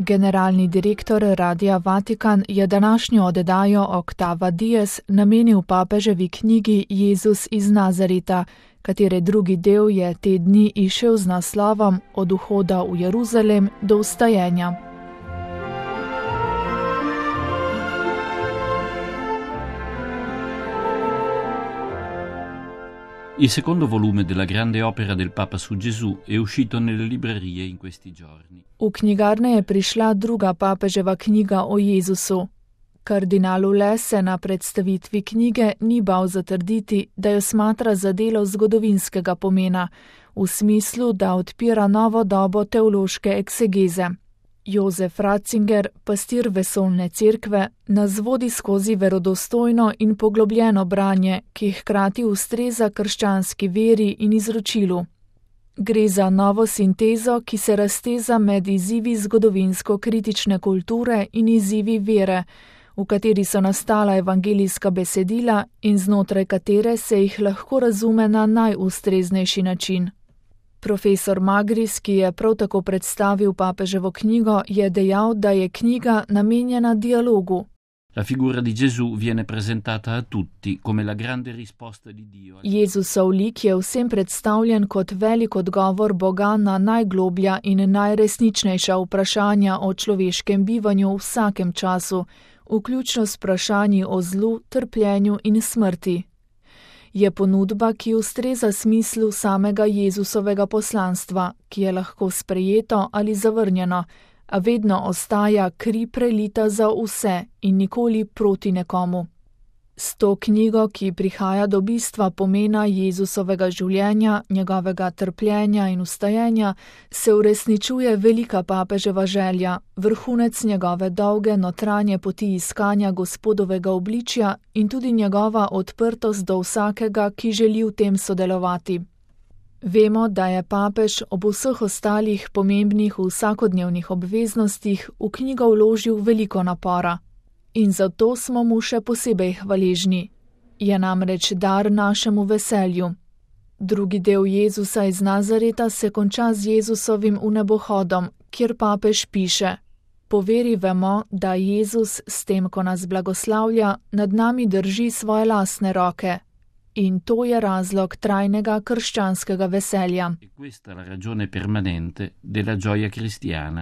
Generalni direktor Radia Vatikan je današnjo oddajo Octava Dies namenil papeževi knjigi Jezus iz Nazareta, katere drugi del je te dni izšel z naslovom Od vhoda v Jeruzalem do vstajenja. Il secondo volume della grande opera del Papa su Gesù è uscito nelle librerie in questi giorni. V knjigarne je prišla druga papeževa knjiga o Jezusu. Kardinal Ule se na predstavitvi knjige ni bal zatrditi, da jo smatra za delo zgodovinskega pomena, v smislu, da odpira novo dobo teološke eksegeze. Jozef Ratzinger, pastir vesoljne cerkve, nas vodi skozi verodostojno in poglobljeno branje, ki hkrati ustreza krščanski veri in izročilu. Gre za novo sintezo, ki se razteza med izzivi zgodovinsko-kritične kulture in izzivi vere, v kateri so nastala evangelijska besedila in znotraj katere se jih lahko razume na najustreznejši način. Profesor Magris, ki je prav tako predstavil papeževo knjigo, je dejal, da je knjiga namenjena dialogu. La figura di Gesù viene presentata a tutti come la grande risposta di Dio. Jezusov lik je vsem predstavljen kot velik odgovor Boga na najgloblja in najresničnejša vprašanja o človeškem bivanju v vsakem času, vključno s vprašanji o zlu, trpljenju in smrti. Je ponudba, ki ustreza smislu samega Jezusovega poslanstva, ki je lahko sprejeto ali zavrnjeno, a vedno ostaja kri prelita za vse in nikoli proti nekomu. S to knjigo, ki prihaja do bistva pomena Jezusovega življenja, njegovega trpljenja in vstajenja, se uresničuje velika papeževa želja, vrhunec njegove dolge notranje poti iskanja Gospodovega obličja in tudi njegova odprtost do vsakega, ki želi v tem sodelovati. Vemo, da je papež ob vseh ostalih pomembnih vsakodnevnih obveznostih v knjigo vložil veliko napora. In zato smo mu še posebej hvaležni. Je namreč dar našemu veselju. Drugi del Jezusa iz Nazareta se konča z Jezusovim vnebohodom, kjer papež piše: Po veri vemo, da Jezus s tem, ko nas blagoslavlja, nad nami drži svoje lastne roke. In to je razlog trajnega krščanskega veselja. E questa è la ragione permanente della gioia cristiana.